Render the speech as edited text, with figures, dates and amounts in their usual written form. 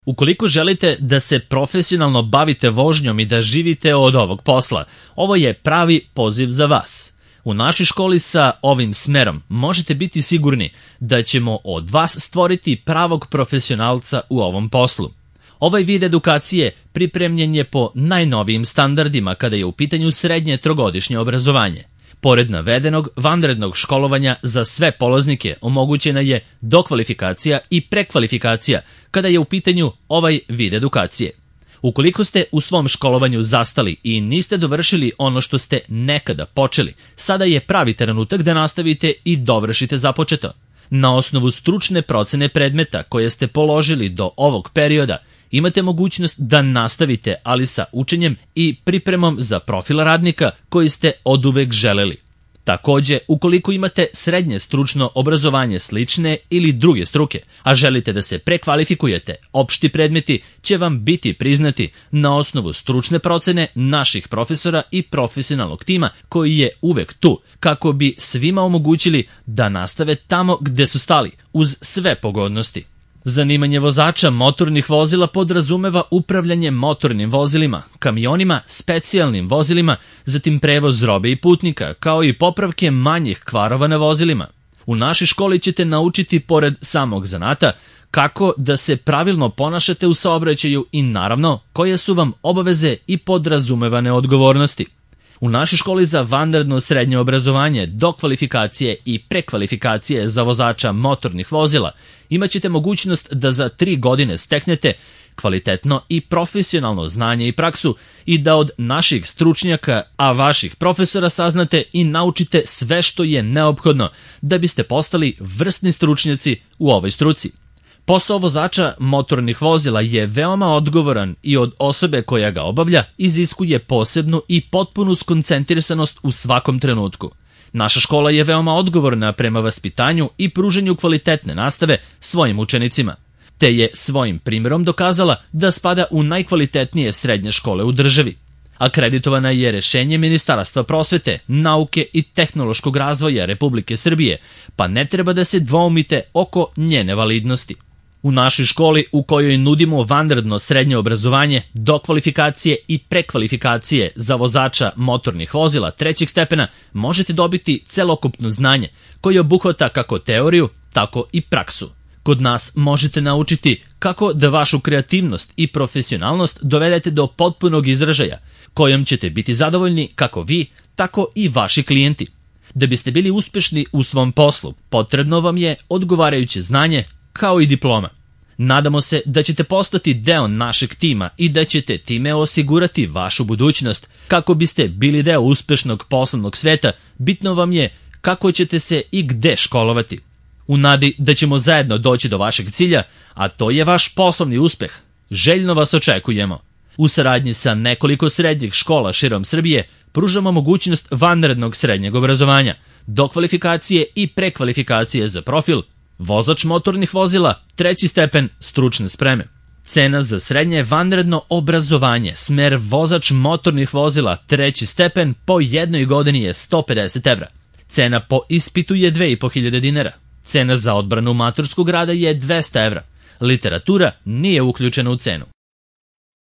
Ukoliko želite da se profesionalno bavite vožnjom i da živite od ovog posla, ovo je pravi poziv za vas. U našoj školi sa ovim smerom možete biti sigurni da ćemo od vas stvoriti pravog profesionalca u ovom poslu. Ovaj vid edukacije pripremljen je po najnovijim standardima kada je u pitanju srednje trogodišnje obrazovanje. Pored navedenog vanrednog školovanja za sve polaznike omogućena je dokvalifikacija i prekvalifikacija kada je u pitanju ovaj vid edukacije. Ukoliko ste u svom školovanju zastali i niste dovršili ono što ste nekada počeli, sada je pravi trenutak da nastavite i dovršite započeto. Na osnovu stručne procene predmeta koje ste položili do ovog perioda, imate mogućnost da nastavite, ali sa učenjem i pripremom za profil radnika koji ste oduvek želeli. Takođe, ukoliko imate srednje stručno obrazovanje slične ili druge struke, a želite da se prekvalifikujete, opšti predmeti će vam biti priznati na osnovu stručne procene naših profesora i profesionalnog tima koji je uvek tu, kako bi svima omogućili da nastave tamo gde su stali, uz sve pogodnosti. Zanimanje vozača motornih vozila podrazumeva upravljanje motornim vozilima, kamionima, specijalnim vozilima, zatim prevoz robe i putnika, kao i popravke manjih kvarova na vozilima. U našoj školi ćete naučiti, pored samog zanata, kako da se pravilno ponašate u saobraćaju i naravno koje su vam obaveze i podrazumevane odgovornosti. U našoj školi za vanredno srednje obrazovanje, dokvalifikacije i prekvalifikacije za vozača motornih vozila imaćete mogućnost da za 3 godine steknete kvalitetno i profesionalno znanje i praksu i da od naših stručnjaka, a vaših profesora saznate i naučite sve što je neophodno da biste postali vrsni stručnjaci u ovoj struci. Posao vozača motornih vozila je veoma odgovoran i od osobe koja ga obavlja iziskuje posebnu i potpunu skoncentrisanost u svakom trenutku. Naša škola je veoma odgovorna prema vaspitanju i pruženju kvalitetne nastave svojim učenicima, te je svojim primjerom dokazala da spada u najkvalitetnije srednje škole u državi. Akreditovana je rešenje Ministarstva prosvete, nauke i tehnološkog razvoja Republike Srbije, pa ne treba da se dvoumite oko njene validnosti. U našoj školi u kojoj nudimo vanredno srednje obrazovanje, dokvalifikacije i prekvalifikacije za vozača motornih vozila 3. stepena možete dobiti celokupno znanje koje obuhvata kako teoriju, tako i praksu. Kod nas možete naučiti kako da vašu kreativnost i profesionalnost dovedete do potpunog izražaja, kojom ćete biti zadovoljni kako vi, tako i vaši klijenti. Da biste bili uspešni u svom poslu, potrebno vam je odgovarajuće znanje, kao i diploma. Nadamo se da ćete postati deo našeg tima i da ćete time osigurati vašu budućnost. Kako biste bili deo uspešnog poslovnog sveta, bitno vam je kako ćete se i gde školovati. U nadi da ćemo zajedno doći do vašeg cilja, a to je vaš poslovni uspeh, željno vas očekujemo. U saradnji sa nekoliko srednjih škola širom Srbije pružamo mogućnost vanrednog srednjeg obrazovanja, dokvalifikacije i prekvalifikacije za profil vozač motornih vozila 3. stepen stručne spreme. Cena za srednje vanredno obrazovanje, smer vozač motornih vozila 3. stepen po jednoj godini je 150 evra. Cena po ispitu je 2500 dinara. Cena za odbranu maturskog rada je 200 evra. Literatura nije uključena u cenu.